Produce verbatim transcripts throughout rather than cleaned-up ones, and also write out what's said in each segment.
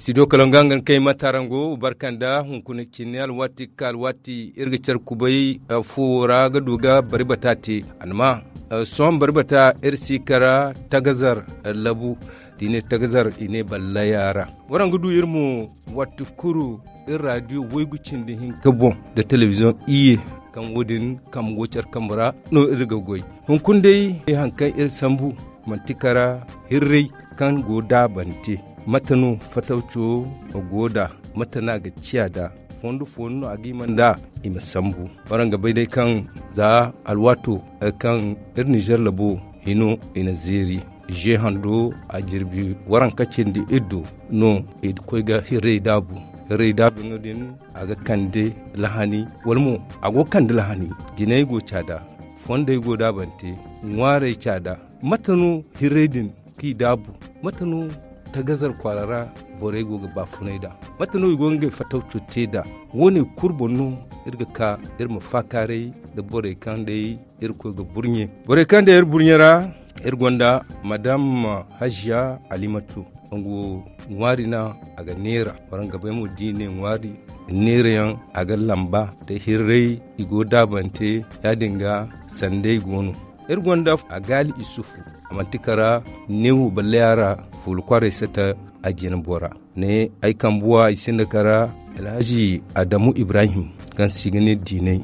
Studio Kalonga nga kay matarango barkanda hunkuna cine alwaati ka alwaati iri ga care kubay fuwo ra ga du ga bari bata te. Alma sohõ bari bata iri si kara tagazar labu da i ne tagazar i ne ballaya ra. Waraŋ ga du iri mo waati kuru iri radio waygu cindi hinka boŋ da telebiziyoŋ iyye kaŋ wo- din kambe go care kambe ra no iri ga goy. Hunkuna day hari kaŋ iri sambu manti kara hirray kaŋ go daabante. Mate no fatawco go da? Mate no a ga ciya da? Fondo fondo no a ga hima nd'a i ma sambu. Waraŋ ga bay day kaŋ za alwaato kaŋ iri nizer labo hino i na zeeri. Ze hando a jirbi waranka cindi iddo no i koy ga hirray daabu. Hirray daabu no din a ga kande lahani wala mo a go ga kande lahani. Jinay go caada, fondey go daabante, ŋwaarey caada. Mate no hirray din k'i daabu? Mate no tagazar kwaara ra borey go ga baafunay nd'a? Mate no i go ga ngey fatawco te nd'a? Wo- ne kulu boŋ no iri ga ka iri ma faakaaray nda borey kaŋ day iri koy ga burɲe. Borey kaŋ day iri burɲe ra iri gonda madam haziya alimatu. Nga wo ŋwaari no a ga neera. Waraŋ ga bay mo da i ne ŋwaari neerayaŋ a ga lamba da hirray i go daabante. Ya- din ga sanday go no. Iri gonda a gaali isufu a manti kara neewo ballaya ra fuula kwaaray sata a jina bora. Ne ay kambuwa i sinda kara alhaji adamu ibrahim kaŋ se i ga ne diinay.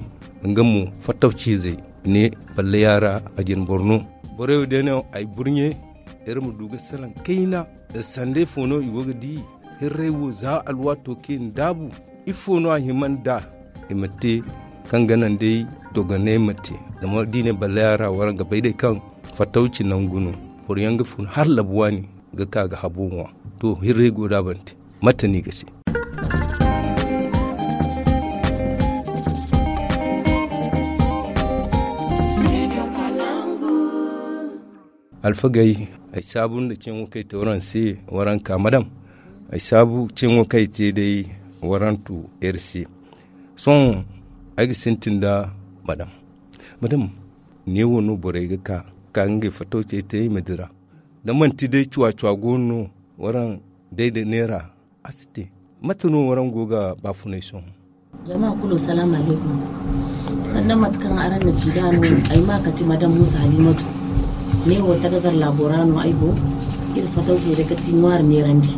Nga mo fattawciizey ne ballaya ra a jina boro no. Borey wo day no ay burɲe iri ma du ga salaŋ kayna. Sanday fo no i go ga di hirray wo za alwaato kaŋ i na daabu? Ifo no a hima nd'a i ma te kaŋ ga naŋ day dogonay ma te? Zama da i ne ballaya ra waraŋ ga bay day kaŋ fattawci nangu no. Boro yaŋ ga fun hala labu waani ga ka ga habo ŋwa. To hirray go daabante. Mate no i ga te? Alfagey, ay saabu nda ceŋo kaŋ ay te waraŋ se. Waraŋ ka madam ay saabu ceŋo kaŋ ay te day waraŋ tu iri se. Sohõ ay ga sintin nda madam. Madam, neewo no borey ga ka ka ngey fattawcey te i ma dira. Da manti day cuwa-cuwa go no no waraŋ day da neera a si te. Mate no waraŋ go ga baafunay sohõ? Jama kulu salaamu alaykum. Sannan mate kaŋ araŋ na ci da no ay ma kati madam musa halimatu. Ne wo tagazar laabo ra no ay go. Iri fatawcey day kati ŋwaari neerandi.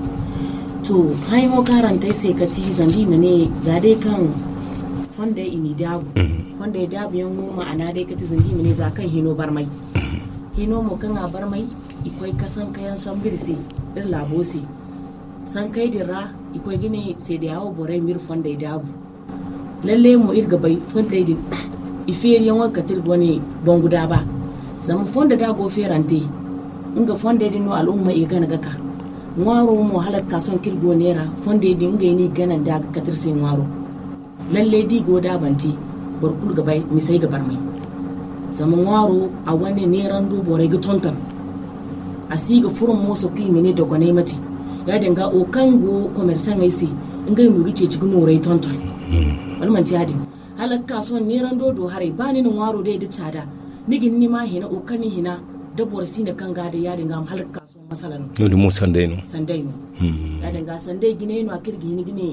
To, haya mo kaŋ araŋ te ay se kati zanga i ma ne za day kaŋ fondey i n'i daabu. Fondey daabu yaŋ mo ma'ana day kati zanga i ma ne za kaŋ hino barmay. Hino mo kaŋ a barmay i koy ka sankayaŋ sambu iri se iri laabo se. Sankey din ra i koy ga ne seedeya wo borey ma iri fondey daabu. Lalle mo iri ga bay fondey din i feeriyaŋo ga kate iri ga wane bangu daaba. Zama fondo da a go feerante nga fondey din no al'umma i ga gana ga ka. Ŋwaaro mo hala ga ka sohõ kaŋ iri go neera fondey din ngey no i ga gana nd'a ga kate iri se ŋwaaro. Lalle da i go daabante boro kulu ga bay misey ga barmay. Zama ŋwaaro a wane neerando borey ga tonton. A si ga furo mooso kaŋ i ma ne dogonay mate. Ya- din ga wo kaŋ go komersaŋey se ngey mo ga ceeci ga nooray tonton. Wala manti ya- din? Hala ga ka sohõ neerando do haray ba ni na ŋwaaro day da caada ni ga ni ma hina wo kaŋ ni hina da boro si na kaŋ ga day ya- din ga hala ga ka sohõ masala no. No- din mo sanday no. Sanday no. Ya- din ga sanday jinay no a kaŋ iri ga hin ga ne.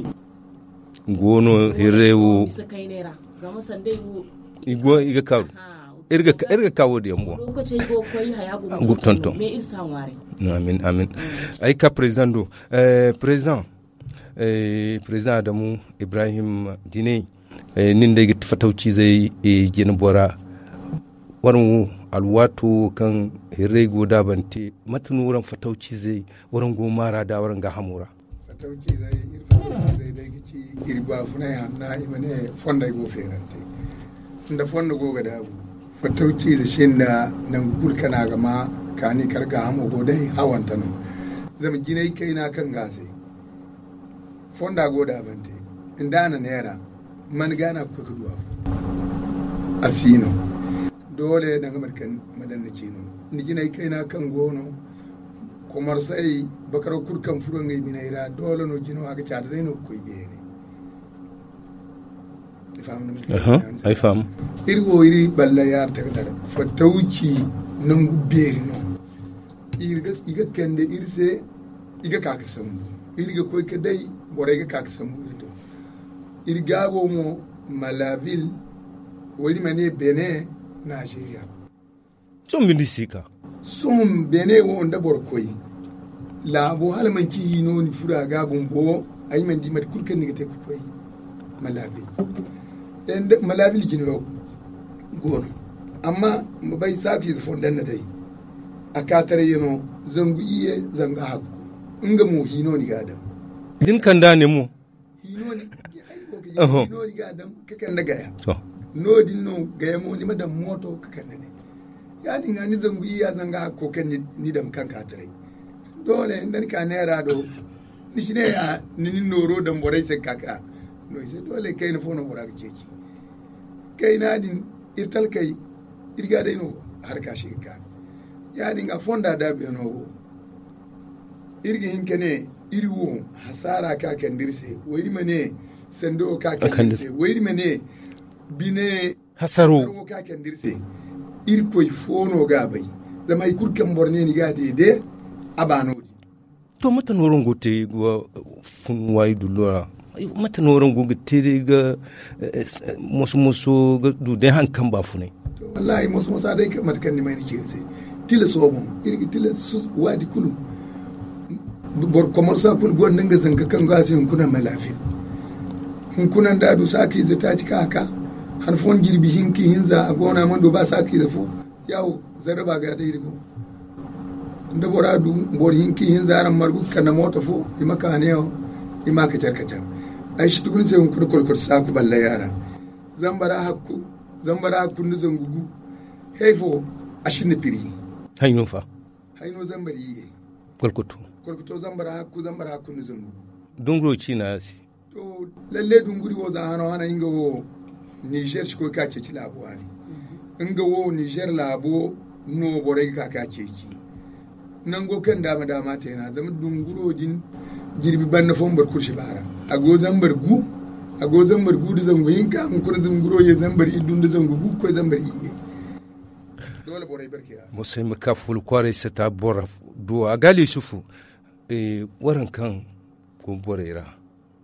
Go no hirre wo. Bisa kaynay ra zama sanday wo. I go i ga karu. Iri ga kawo da yambo. Lokaci ay go koy haya go tonton. Me iri sa ŋwaaray. Amin amin. Ay ka président do. Président président adamu ibrahim dine. Nin day ga fatawcizey jina bora. Waraŋ wo alwaato kaŋ hirrey go daabante mate no waraŋ fatawcizey waraŋ go maara da waraŋ gaahamo ra? Fatawcizey iri fatawcizey day ga ci iri baafunay hanna i ma ne fondey go feerante. Nda fondo go ga daabu fatawcize sinda nangu kulu kaŋ a ga ma kaani kala gaahamo go day hawante no. Zama jinay kayna kaŋ ga a se fonda go daabante nda a na neera man ga no a ga koy ga du a fo? A si no. Doole danga mate kaŋ ma daŋ ni ciino ni jinay kayna kaŋ go no. Komarsay bakaro kulu kaŋ furo ngey biney ra doole no jino a ga caada day no ga koy beene. Ay faham. Iri wo iri balla yaari takadar fattawci nangu beeri no. I ga kande iri se i ga ka ga sambu. Iri ga koy ga day, borey ga ka ga sambu iri do. Iri gaabo mo, malabil, wala i ma ne bene, nizeeriya. Sohõ bindi si ka. Sohõ bene wo nda boro koy laabo, hala manci hino ni furo a ga bumbo, ay mana di mate kulu kaŋ ni ga te ga koy. Malabil. Malabil jine wo go no. Amma ma bay saaku ize fondanda day. A kaataray yaŋ no, zangu iyye, zangu hakku. Nga mo hino ni ga a daŋ. Din kanda ne mo. Hino ni ga a daŋ ka kande gaya. No- din no gaya mo ni ma daŋ mooto ka kande ne. Ya- din ga ni zangu iyya zanga hakko kaŋ ni daŋ kaŋ ka taray. Doole nda ni ka neera do, ni si ne ya ni ni nooro daŋ borey se ka ka no i se. Doole kayna fo no bora ga ceeci. Kayna din, iri talkey, iri ga day no harka si ga ka. Ya- din ga fonda daabu yaŋo wo. Iri ga hin ka ne, iri wo hasaara ka kande iri se, wayri ma ne, sando ka kande iri se, wayri ma ne, bine hasaro ka kande iri se. Iri koy fo no ga bay. Zama hari kulu kaŋ boro ne ni ga a deede, a ba no- din. To mate no rango te ga fun waayi dullo ra? Mate no rango ga te day ga moso moso ga du day haŋ kaŋ ba funay? Wallaahi moso moso a day mate kaŋ ni may ni ceeri se. Tila sooboŋ iri ga tila waati kulu. Boro komarsa kulu gonda nga zanka kaŋ go a se hunkuna ma laafin. Hunkuna nda a du saakiize taaci ka a ka han fooyaŋ jirbi hinka hinza a go no a mana du ba saakiize fo. Yaawo, zarraba ga day iri go. Nda bora du boro hinka hinza araŋ margu ga kande mooto fo i ma ka neewo. I ma kacar kacar. Ay si tugu ni se hunkuna kolkot saaku ballay a ra. Zambara hakku, zambara hakku nda zangu gu. Hay fo a sinda piri. Hay no fa? Hay no zambar iyye. Kolkoto. Kolkoto zambara hakku, zambara hakku nda zangu gu. Dunguro ciina se. To, lalle dunguri wo za hano hana nga wo nizer si koy ka ceeci laabo waani. Nga wo nizer laabo no borey ga ka ka ceeci. Nango kaŋ daama daama te no a zama dunguro din jirbi banda fo boro kulu si baara. A go zambar gu a go zambar gu da zangu hinka hunkuna dunguro ye zambar iddu nda zangu gu ga koy zambar iyye. Doole borey barke ra. Moso ay ma ka fulu kwaaray sata boro duwa a gaali yusufu. Waraŋ kaŋ go borey ra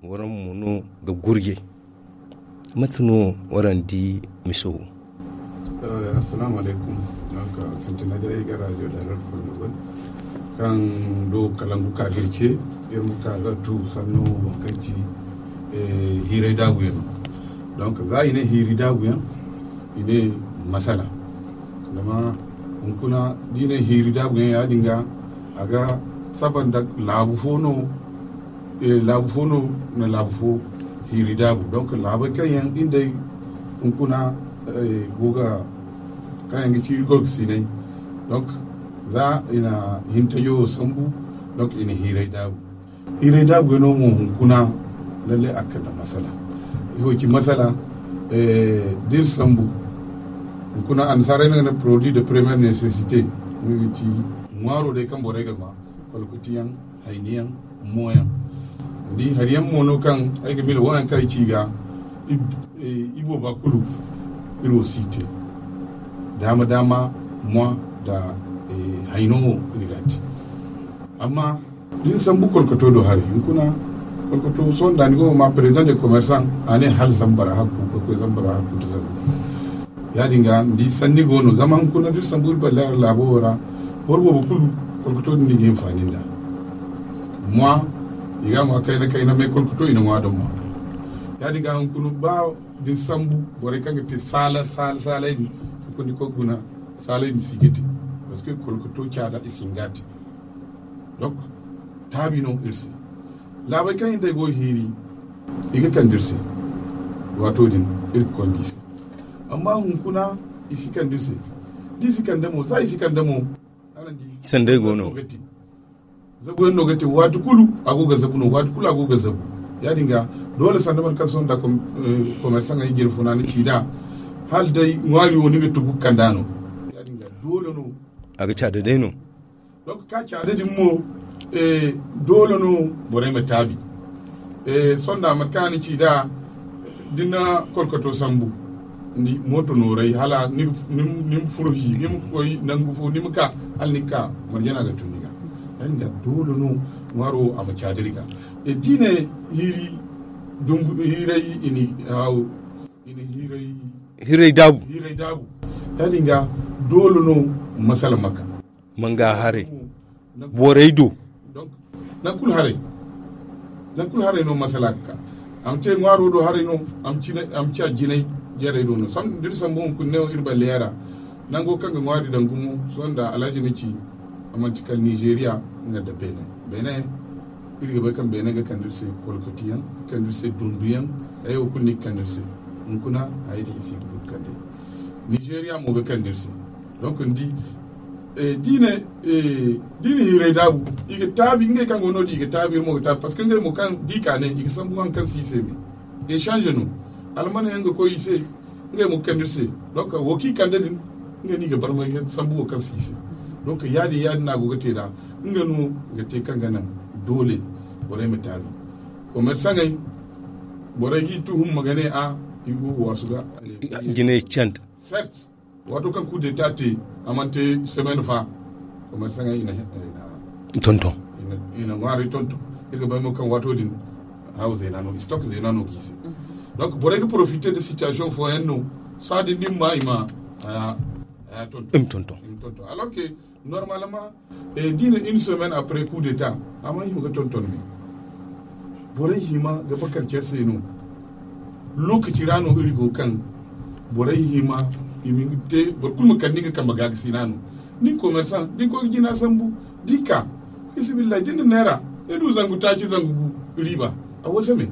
waraŋ mo no ga gurjay. Mate no waraŋ di miso wo? Assalamu alaykum. Donc sintina ga ay ga radio da rar fondo bai kaŋ do kalangu ka ga iri ce. Iri ma ka ga tu sanno waŋ kaŋ ci hiiray daabu yaŋ no. Donc za i ne hiiri daabu yaŋ i ne masala. Zama hunkuna da i ne hiiri daabu yaŋ ya- din ga a ga saba nda laabu fo no. Laabu fo no na laabu fo hiiri daabu donc laabey kaŋ yaŋ ngey hunkuna go ga kaŋ yaŋ ga ci iri gorgasiney. Donc za i na hintajo wo sambu donc i na hiiray daabu. Hiiray daabu yaŋ no mo hunkuna lalle a ga kande masala. Ifo ci masala? Da iri sambu hunkuna annasaarey no ga ne produit de première nécessité. Nga ga ci ŋwaaro day kaŋ borey ga ŋwa kolkotiyaŋ, hayniyaŋ, mooyaŋ. Ni di hari yaŋ mo no kaŋ ay ga mila wo yaŋ kaŋ ay ci i ga ibooba kulu. Iri wo si te daama daama mois da hayno wo iri ga a te. Amma da ni sambu kolkoto do haray hunkuna kolkoto sohõ da ni go ga ma président de commerçant a ne hala zambara hakku ga koy zambara hakku da zangu. Ya- din ga ni di sanni go no zama hunkuna da iri sambu iri balle hari laabo wo ra boro boobo kulu kolkoto din no i ga hinfaani nd'a. Mois i ga a ŋwa kayna kayna mais kolkoto i na ŋwa da mois. Ya- din ga hunkuna ba da ni sambu borey kaŋ ga te saala saala saalay din hunkuna ni koy ga guna saalay din si ga te. Parce que kolkoto caada i si hin ga a te. Donc taabi no iri se. Laabey kaŋ hintey go ga hiiri i ga kande iri se. Waato din iri ga konda i se. Amma hunkuna i si kande iri se. Da i si kande mo za i si kande mo. Sanday go no. Zabu yaŋ no ga te waati kulu a go ga zabu no waati kulu a go ga zabu. Ya- din ga doole sanda mate kaŋ sohõ nda commerçant ŋey jine funa ni ci nd'a hala day ŋwaari wo ni ga tugu ga kand'a no. Ya- din ga doole no. A ga caada day no. Donc ka caada din mo doole no borey ma taabi. Sohõ nda mate kaŋ a na ci nd'a da ni na kolkoto sambu ni mooto nooray hala ni ma furo hi ni ma koy nangu fo ni ma ka hala ni ga ka marjana ga tun ni ga. Ya- din ga doole no Ŋwaaro a ma caadiri ga. E diine hiiri dungu hiiray ini haw ini hiiray hiiray daabu hiiray daabu. Yaadin ga doole no masala maka manga haray borey do. Nan kulu haray nan kulu haray no masala ga ka. A ma te ŋwaaro do haray no a ma ci a jinay jarey do no. Diri sambu hunkuna ne wo iri balleyaŋ ra nango kaŋ ga ŋwaari daŋ gumo sohõ nda alhaji ni ci a manti kala nizeeriya nga nda beene. Beene iri ga bay kaŋ beene ga kande iri se kolkotiyaŋ ga kande iri se dunduyaŋ. Ay wo kulu ni ga kande iri se hunkuna hayey din i si ga du ga kande nizeeriya mo ga kande iri se. Donc ni di diine diine hiiray daabu i ga taabi ngey kaŋ go no- din i ga taabi iri mo ga taabi parce que ngey mo kaŋ di ka ne i ga sambu haŋ kaŋ si i se me. Echange no almana yaŋ ga koy i se ngey mo ga kande iri se. Donc wo kaŋ i kande din nga no i ga barmay ga sambu wo kaŋ si i se. Donc yaadin yaadin no a go ga te nd'a nga no ga te kaŋ ga naŋ doole borey ma taabi. Commerçaŋey borey g'i tuhum ma ga ne a i go ga waasu ga jinay canta. Certes waato kaŋ coup d'état te a mana te semaine fa commerçaŋey i na tonton i na ŋwaaray tonton. Iri ga bay mo kaŋ waato din haw zeena no stock zeena no ga i se. Donc borey ga profiter de situation fooyaŋ no saa din din ma i ma haya tonton. Alors que normalement da i na une semaine après coup d'état a ma hima ga tonton ne. Borey hima ga bakar care se no. Lokaci ra no iri go kaŋ borey hima i ma te boro kulu ma kande nga kambe ga ga sina no. Nin commerçant din koy ga jina sambu dinka fisibillahi din na neera ni du zangu taaci zangu gu riiba a wasa me.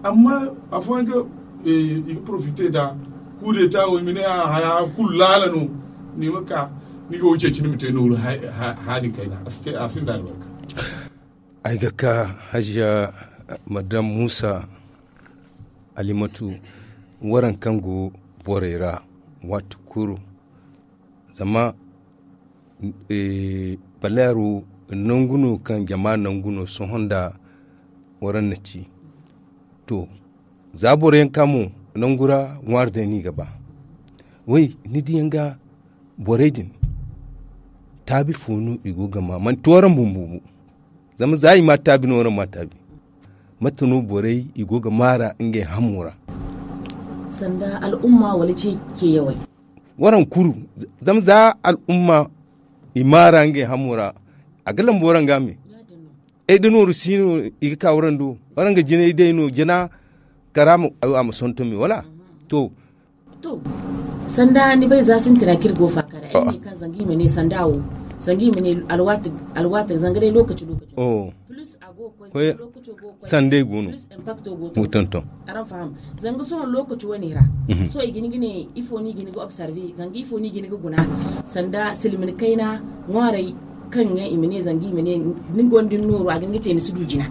Amma afooyaŋ ga i ga profite da kudeta wo i ma ne a haya kulu laala no. Ni ma ka ni ga wo ceeci ni ma te nooru haadin kayna a sinda albarka. Ay ga ka hajiya madam musa alimatu waraŋ kaŋ go borey ra waati kulu zama baleero nangu no kaŋ jama nangu no sohõ nda waraŋ na ci. To za boro yaŋ ka mo nangu ra ŋwaari day no i ga ba. Way ni diyaŋ ga borey din taabi fo no i go ga ma manti waraŋ bumbo bo. Zama za i ma taabi no waraŋ ma taabi. Mate no borey i go ga maara ngey hamo ra? Sanda al'umma wala ce ceyawey. Waraŋ kuru zama za al'umma i maara ngey hamo ra a ga lambu waraŋ ga me. Ay da nooru si no i ga ka waraŋ do waraŋ ga jinay day no jina kara a ma sonto me wala? To. To sanda ni bay za sintina kaŋ iri go faakara ay ne kaŋ zanga i ma ne sanda wo zanga i ma ne alwaati zanga day lokaci lokaci plus a go ga koy sanda ay go no. Tonton. Araŋ faham zanga sohõ lokaci wane ra sohõ i ga ni ga ne ifo no i ga ni ga observe zanga ifo no i ga ni ga guna sanda silmin kayna ŋwaaray kaŋ ga i ma ne zanga i ma ne ni gonda ni nooru a ga ni ga te ni si du jina.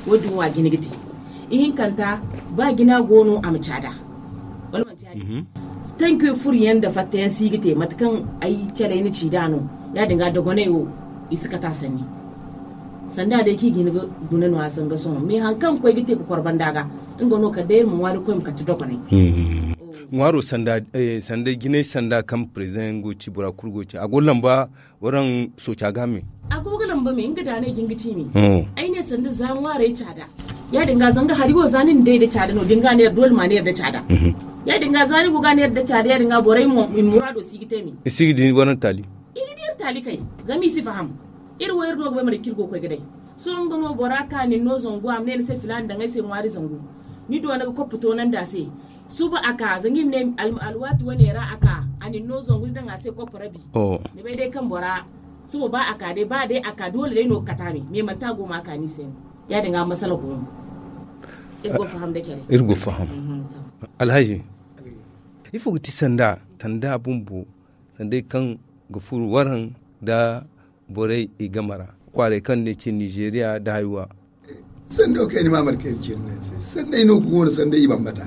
Wo- din wo a ga ni ga te ihinkanta ba jina go no a ma caada. Wala manti ya- din tanki furo yaŋ nda fatta yaŋ si ga te mate kaŋ ay calay ni ci da no ya- din ga dogonay wo i si kata sanni. Sanda day kaŋ i ga ni ga guna no a zanga sohõ mais hari kaŋ ga koy ga te ga kor banda ga nga no kala day iri ma ŋwaari ga koy ma kate dogonay. Ŋwaaro sanda jinay sanda kaŋ president yaŋ go ga ci bora kulu go ga ci a go ga lamba waraŋ sooca ga me. A go ga lamba me nga daanay jin ga ci me. Ay ne sanda za ŋwaaray caada ya- din ga zanga hari wo za ni na day nda caada no da ni ga neera doole ma neera nda caada. Ya- din ga za ni go ga neera nda caada ya- din ga borey mo i muraado si ga te me. I si ga di waraŋ taali. I ga di iri taali kay zama i si faham. Iri wo iri no ga bay mate kaŋ iri go ga koy ga day. Sohõ nga no bora ka nin no zangu a ma ne ni se filaana daŋ ay se ŋwaari zangu. Ni doona ga koppa toonandi a se. Suba a ka zanga i ma ne alwaati wane ra a ka a nin no zangu ni daŋ a se koppa rabi. Ni bay day kaŋ bora suba ba a ka day ba day a ka doole day no ga kata me me manti a go ma a ka ni se no. Ya- din ga masala go no. Iri go faham da care. Iri go faham. Alhaji ifo ga ti sanda sanda bumbo sanday kaŋ ga furo waraŋ nda borey i game ra kwaaray kaŋ ne ci nizeeriya nda haywa. Sando kaŋ ay na ma mate kaŋ ay na ci iri no ay se sanday no ga go no sanday i bambata.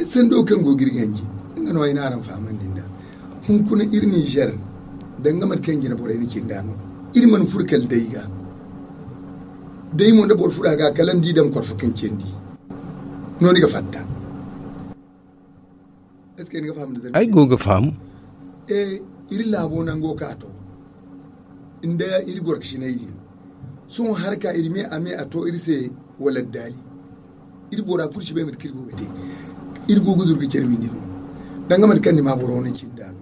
Sando kaŋ go ga iri ganji nga no ay na araŋ fahamandi nd'a. Hunkuna iri nizer danga mate kaŋ jina borey na ci nd'a no. Iri mana furo kala day ga day mo nda boro furo a ga kala ni di dama kor fo kaŋ candi no ni ga fatta. Ay go ga faham. Iri laabo nango ka to nda iri gorkasinay din Sohõ harka iri me a me a to iri se wala daali. Iri bora kulu si bay mate kaŋ iri go ga te. Iri go ga duru ga care windi no. Danga mate kaŋ ni ma boro no cinda no.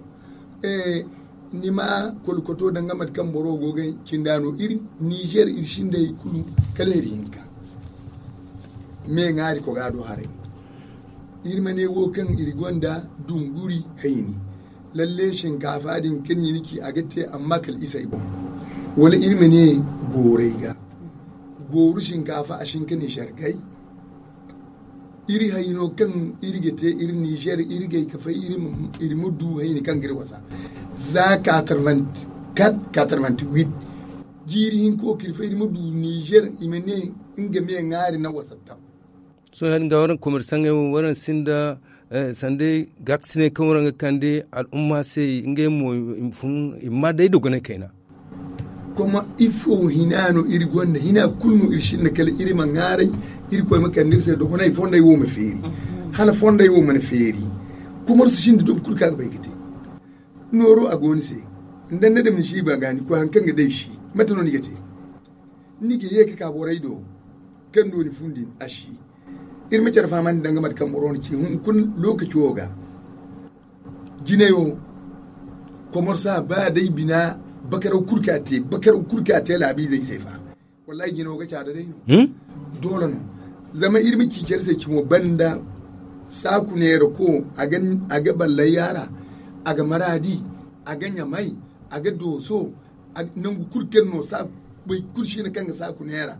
Eh, ni ma kolkoto danga mate kaŋ boro go ga cinda no. Iri Niger iri sinda hay kulu kala iri hinka. Me ŋaari ko ga do haray. Iri ma ne wo kaŋ iri gonda dunguri hayni. Lalle shinkafa din kaŋ ni ci a ga te amma kala isay boŋ. Wala iri ma ne gooray ga. Gooru shinkafa a shin ka ne shargay. Iri hayno kaŋ iri ga te iri Niger iri gay ka fay iri ma du hayni kaŋ ga iri wasa. Za quatre-vingt-quatre, quatre-vingt-huit. Jiiri hinko ka iri fay iri ma du Niger i ma ne nga me ŋaari na wasa tab. Sohõ yaadin ga waraŋ komersaŋey wo waraŋ sinda sanda gaakasiney kaŋ waraŋ ga kande al'umma se ngey mo i ma day dogonay kayna. Kuma ifo hina no iri gonda hina kulu no iri sinda kala iri ma ŋaaray. Iri koy ma kande iri se dogonay fonday wo ma feeri hala fonday wo mana feeri. Kuma iri si sinda dogo kulu kaŋ a ga bay ga te nooro a go ni se. Nda ni na dam ni si ba ga ni koy haŋ kaŋ ga day si mate no ni ga te. Ni ga ye ka ka borey do kaŋ do ni fun din a si. Iri ma care fahamandi danga mate kaŋ boro na ci hunkuna lokaci wo ga. Jinay wo komorsa ba day bina bakaraw kulu ka te bakaraw kulu ka te laabiizey se fa. Wallahi jina wo ga caada day no. Doole no. Zama iri ma ci care se cimo banda saaku neera ko a ga ballay yaara a ga maraadi a ga ɲamay a ga dooso. Nangu kulu kaŋ no saaku bay kulu siina kaŋ ga saaku neera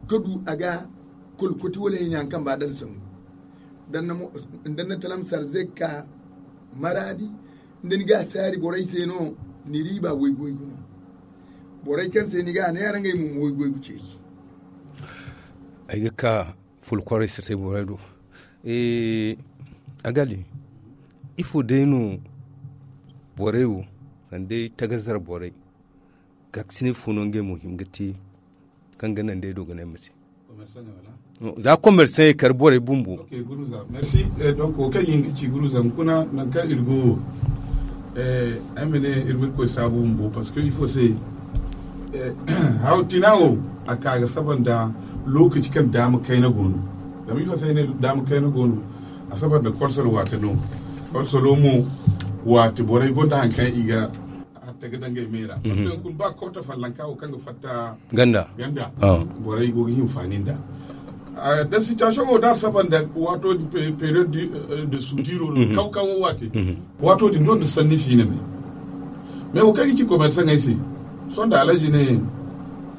ka du a ga kolkoti wala hina haŋ kaŋ ba dala sangu. Danna talam sarze ka maraadi nda ni ga saari borey se no ni riiba waygu waygu no. Borey kaŋ se ni ga neera ngey mo ma waygu waygu ceeci. Ay ga ka fulkorey se te borey do. A ga di ifo day no borey wo kala day tagazar borey. Gaakasinay fo no ngey mo hima ga te kaŋ ga naŋ day dogonay ma te. Za commerçant kar borey bumbo. Merci. Donc wo kaŋ iri ga ci guruza hunkuna nangu kaŋ iri go wo. Ay ma ne iri ma iri koy saabu bumbo parce que ifo se haw tina wo a ka ga saba nda lokaci kaŋ daama kayna go no. Zama ifo se ay ne daama kayna go no a saba nda kolsol waate no. Kolsolo mo waate borey gonda haŋ kaŋ i ga hatta ga dangay meera parce que hunkuna ba kawta fallanka wo kaŋ ga fatta ganda ganda. Borey go ga hinfaani nda da situation wo da saba nda waato din période de soudure no kaw kaw waate. Waato din don da sanni si ne me me wo kaŋ ga ci commerçant ay se sonda alaji ne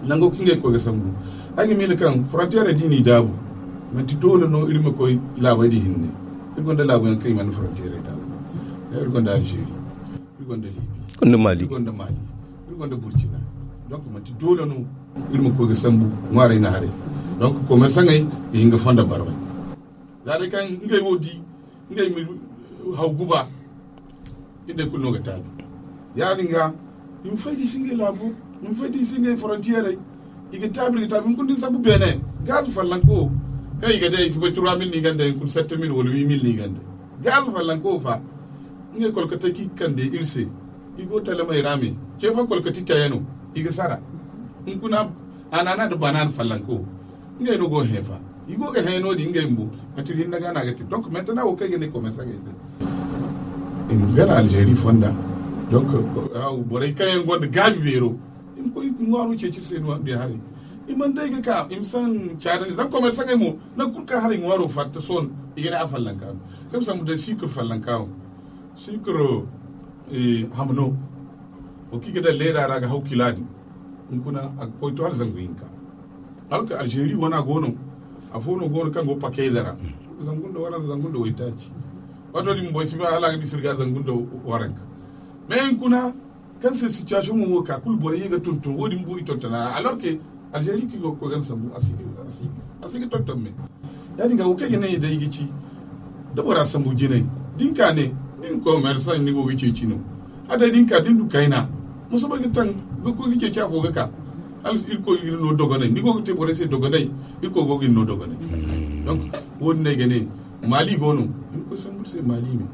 nango kaŋ ga koy ga sambu ay ga miila kaŋ frontière di ni daabu manti doole no iri ma koy laabay di hinne. Iri gonda laabu yaŋ kaŋ i mana frontière daabu iri gonda algérie. Iri gonda libi iri gonda mali iri gonda mali iri gonda burkina. Donc manti doole no iri ma koy ga sambu ŋwaaray na haray. Donc commerçant ay ga hin ga fonda barmay za day kaŋ ngey wo di ngey ma haw guba. Ngey kulu no ga taabi yaadin ga i ma fay da i si ngey laabo i ma fay da i si ngey frontière. I ga taabi i ga taabi hunkuna da ni sambu beene gaz fallanko kaŋ i ga day i si bay trois mille ni ganda hunkuna sept mille wala huit mille ni ganda. Gaz fallanko fa ngey kolkatey kaŋ i ga kande iri se. I go talamey ra me ceefaŋ kolkati tayano i ga sara. Hunkuna anana nda banana fallanko ngey no go ga heefa. I go ga hẽ no-din ngey bumbo mate hinne ga no a ga te donc maintenant wo kaŋ ay ga ne commerçant ay se i ma gana algérie fonda. Donc borey kaŋ yaŋ gonda gaabi beero i ma koy ŋwaaro ceeci iri se no biya haray. I mana day ga ka i ma san caadandi zama commerçant ay mo nangu kulu kaŋ haray ŋwaaro fatta sohõ i ga ne a fallanka no. Kaŋ sambu day sucre fallanka wo sucre hamno wo kaŋ i ga daŋ leera ra ga haw kila din. Hunkuna a ga koy to hala zangu hinka. Hala ka algérie wana go no afo no go no kaŋ go pakeyda ra zangu nda waranza zangu nda waytaaci. Waato din boy si ba hala a ga bisa iri ga zangu nda waranka. Mais hunkuna kaŋ se situation mo wo ka kulu borey ye ga tonton wo-din bumbo i tonton a ra alors que algérie kaŋ i go ga koy gana sambu a si ga tonton me. Ya-din ga wo kaŋ i ga ne day i ga ci da bora sambu jinay da ni ka ne nin commerçant ni go ga ceeci no. A day da ni ka da ni du kayna ma soobay ga taŋ ga koy ga ceeci afo ga ka hala irkoy ga ni no dogonay ni go ga te borey se dogonay. Irkoy go ga ni no dogonay. Donc wo-din no ay ga ne mali go no. Irkoy sambu iri se mali me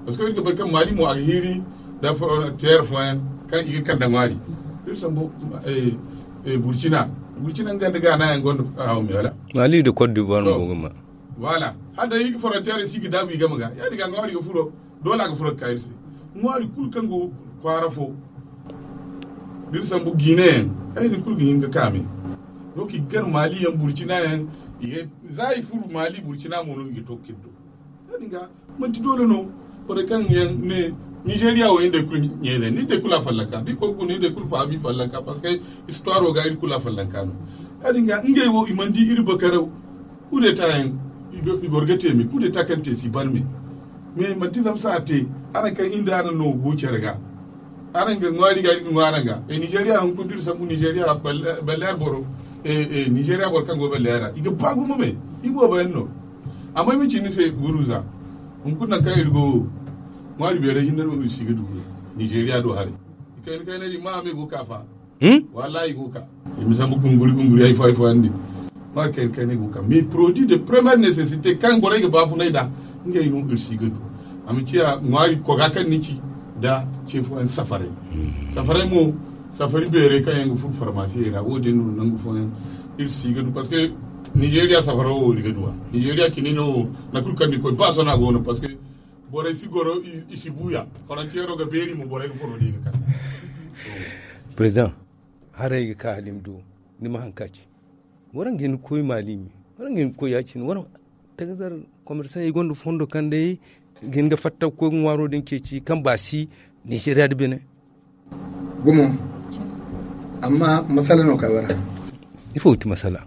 parce que iri ga bay kaŋ mali mo a ga hiiri nda frontière fooyaŋ kaŋ i ga kande ŋwaari. Iri sambu eh, eh, burkina Burkina nga nda gaana yaŋ gonda haw me wala. Mali da cote d'ivoire mo go ga ma. Voilà. Hala day frontière si ga daabu i game ga ya- din ga ŋwaari ga furo. Doole a ga furo ga ka iri se. Ŋwaari kulu kaŋ go kwaara fo, da iri sambu guinée yaŋ, ay din kulu ga hin ga ka me. Donc i ga gar mali yaŋ, burkina yaŋ. Za i furo mali, burkina mo no i ga to ga kiri do. Ya- din ga manti doole no. Borey kaŋ yaŋ ne nigeria wo iri day kulu ɲeele iri day kulu a fallanka da i koy ga guna iri day kulu fahamu i fallanka parce que histoire wo ga iri kulu a fallanka no. Ya- din ga ngey wo i mana di iri bakaraw. Kudeta yaŋ i goro ga te me kudeta kaŋ te si ban me. Mais manti zama se a te. Araŋ kaŋ iri nda araŋ no go care ga araŋ ga ŋwaari ga iri ga ŋwaaraŋ ga. Nigeria hunkuna da iri sambu nigeria balleer boro. Nigeria boro kaŋ go balleer ra i ga ba gumo me. I boobo yaŋ no. Amma ay ma ci ni se guruza hunkuna nangu kaŋ iri go wo. Ŋwaari beeray hinne no iri si ga du nigeria do haray. I kayna kayna din ma a me go ga ka fa. Wallahi i go ga ka. I ma sambu gunguri gunguri hari fo hari fo yaŋ din. Ŋwaari kayna kayna i go ga ka mais produit de première nécessité kaŋ borey ga baafunay nd'a. Ngey no iri si ga du. A ma ciya ŋwaari koga kaŋ ni ci nda ce fo yaŋ safaray. Safaray mo safari beeray kaŋ yaŋ ga furo farmasi ra wo- din no nangu fo yaŋ. Iri si ga du parce que nigeria safaro wo iri ga du a nigeria cini no wo. Nangu kulu kaŋ ni koy ba sohõ a go no parce que borey si goro i si buuya. Frontiero ga beeri mo borey ga furo da i ga kande. Président, haray ga ka halim do. Ni ma haŋ ka ci. Waraŋ ga hin ga koy mali me. Waraŋ ga hin ga koy ya- cine waraŋ tagazar commerçant i gonda fondo kaŋ day ga hin ga fatta ga koy ga ŋwaaro din ceeci kaŋ baasi nigeria da bene. Gumo. Amma masala no ka bara. Ifo ga ti masala?